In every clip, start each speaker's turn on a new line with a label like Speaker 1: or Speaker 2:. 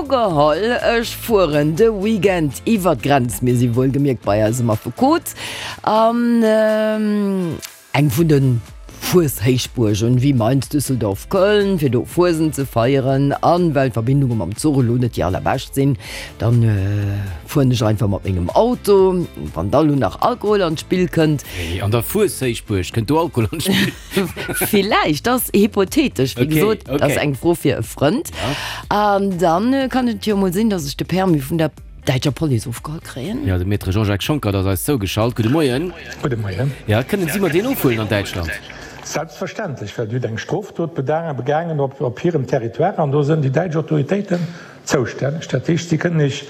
Speaker 1: Ugeholl, ech fueren de Weekend iwwer d'Grenz, mir si wuelgemierkt bei eisem Affekot, an eng vun de Fueshéichbuergen, wéi Mainz, Düsseldorf, Köln, fir do Fuesent ze feieren. An well d'Verbindunge mam Zuch elo net déi allerbescht sinn, dann fueren ech einfach mat mengem Auto. Wann da lo nach Alkohol an d'Spill kënnt.
Speaker 2: Wéi, an der Fueshéichbuerg kënnt do Alkohol an d'Spill?
Speaker 1: Villäicht, dat ass hypothetesch, wéi gesot, dat ass eng Fro fir e Frënd. An dann kann et jo emol sinn, datt ech de Permis vun der däitscher Police ofgeholl kréien.
Speaker 2: Jo, de Maître Jean-Jacques Schonckert ass eis zougeschalt. Gudde Moien.
Speaker 3: Gudde Moien.
Speaker 2: Jo, kënnen si mer deen ofhuelen an Däitschland?
Speaker 3: Selbstverständlech, well Dir hutt eng Strofdot begaangen op hirem Territoire an do sënn déi däitsch Autoritéiten zoustänneg. Dat heescht, si kënnen Iech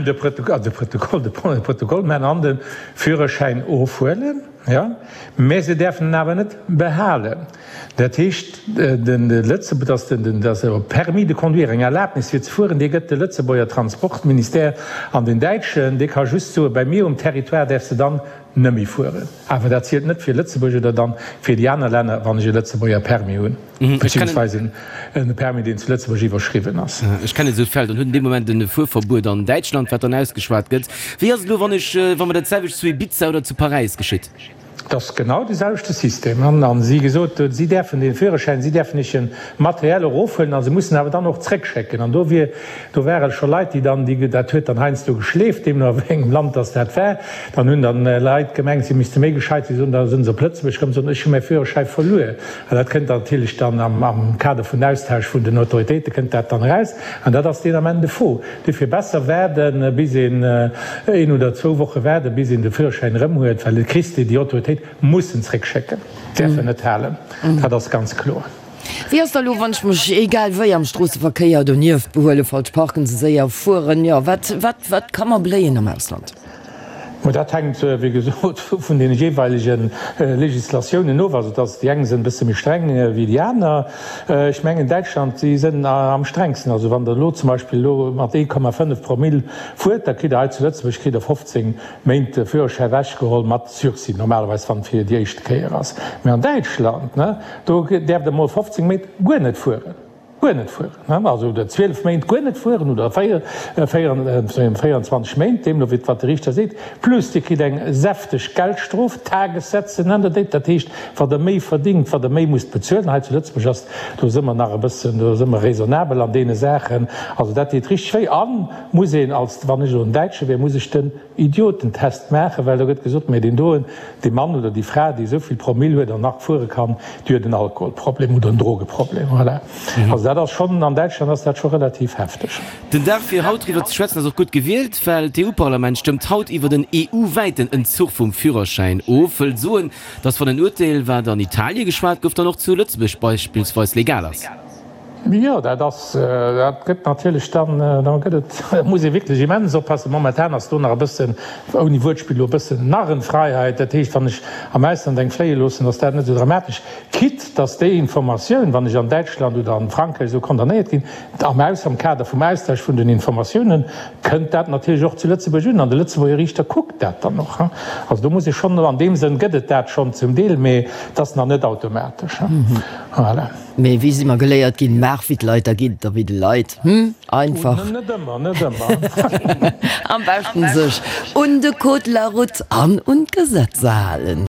Speaker 3: de Protokoll maachen an de Führerschäin ofhuelen. Jo, mä se däerfen en awer net behalen. Dat heescht, de Lëtze-, dass den, dass e Permis de conduire, eng Erlaabnis fir ze fueren, dee gëtt de Lëtzebuerger Transportministère an den däitschen, dee ka just soen, bei mir um Territoire däerfs de dann nëmme fueren. Awer dat zielt net fir Lëtzebuerg oder dann fir déi aner Länner, wann ech e Lëtzebuerger Permis hunn. Beziehungsweise en Permis, deen zu Lëtzebuerg iwwerschriwwen ass.
Speaker 2: Ech kennen esou Fäll, dann huet en dee Moment e Fuerverbuet an Däitschland, wat dann ausgeschwat gëtt. Wéi ass et elo, wann ech, wa mer dat selwecht zu Ibiza oder zu Paräis geschitt?
Speaker 3: Et ass genau de selwechte System. An si gesot, si däerfen dee Führerschäin, si däerfen iech en Materiel erofhuelen a se mussen awer dann och zréckschécken. An do wier, do ware scho Leit, déi dann, déi, dat huet dann heiansdo geschleeft, deemno a wéi engem Land dass dat war, dann hunn dann Leit gemengt, si misste méi gescheit sinn, soen, da sinn se op Lëtzebuerg komm, soen, ech hu mäi Führerschäi verluer. An dat kënnt dann natierlech dann am Kader vun Austausch vun den Autoritéite kënnt dat dann eraus. An dat ass deen Ament de Faux. Duerfir besser waarden, bis een een oder zwou Woche waarden, bis een de Führerschäin erëm huet, well et kriss de, déi Autoritéit muss en zréckschécken, däerf en net halen. Dat ass ganz kloer.
Speaker 1: Wéi ass da elo, wann ech mech egal wéi am Stroosseverkéier donieft behuelen, falsch parken, ze séier fueren, jo, wat, wat, wat ka mer bléien am Ausland?
Speaker 3: Mä dat hänkt, wéi gesot, vun deene jeeweilege Législatiounen of. Also, dass déi eng sinn e bësse méi streng wéi déi aner. Ech mengen, Däitschland, si sinn am strengsten. Also, wann Der elo zum Beispill elo mat 1,5 Promille fuert, da kritt Der hei zu Lëtzebuerg kritt Der 15 Méint de Führerschäi ewechgeholl mat Sursis, normalerweis, wann et fir déi éischte Kéier ass. Mä an Däitschland, do däerft Der emol 15 Méint guer net fueren. Guer net fueren, also oder 12 Méint guer net fueren oder 24 Méint, deemno wéi wat de Riichter seet, plus Dir kritt eng säfteg Geldstrof, Tagessätze nennt Der déi, dat heescht, wat Der méi verdingt, wat Der méi musst bezuelen. Hei zu Lëtzebuerg ass, do si mer nach e bëssen, do si mer raisonnabel an deene Saachen, also dat deet richteg wéi. A muss een als, wann ech elo en Däitsche wier, muss ech den Idiotentest maachen, well do gëtt gesot, mä deen doen, dee Mann oder déi Fra, déi esou vill Promille huet an nach fuere kann, déi huet en Alkoholproblem oder en Drogeproblem. Voilà. Also dat ass schonn, an Däitschland ass dat scho relativ hefteg.
Speaker 2: Den Dag fir haut driwwer ze schwätzen ass och gutt gewielt, well d'EU-Parlament stëmmt haut iwwert en EU-wäiten Entzuch vum Führerschäin of. Wëllt soen, datt wann en Urteel, wat an Italie geschwat gouf, dann och zu Lëtzebuerg beispillsweis legal ass.
Speaker 3: Jo, dat ass, dat gëtt natierlech dann, da gëtt et, da muss ee wierklech immens oppassen. Momentan ass do nach e bëssen, ouni Wuertspill, elo e bëssen Narrenfreiheit. Dat heescht, wann ech am Ausland eng fléie loossen, ass dat net esou dramatesch, quitte dass déi Informatioun, wann ech an Däitschland oder an Frankräich esou condamnéiert ginn, am Aus, am Kader vum Austausch vun den Informatiounen, kënnt dat natierlech och zu Lëtzebuerg un an de Lëtzebuerger Riichter kuckt dat dann och. Also do muss ee schonn, an deem Sënn gëtt et dat schonn zum Deel, mee et ass nach net automatesch. Voilà.
Speaker 1: Mee wéi si mer geléiert ginn, maach wéi d'Leit, da geet et der wéi de Leit. Hm, einfach.
Speaker 3: Net ëmmer, net ëmmer.
Speaker 1: Am beschten sech un de Code de la route an un d'Gesetzer halen.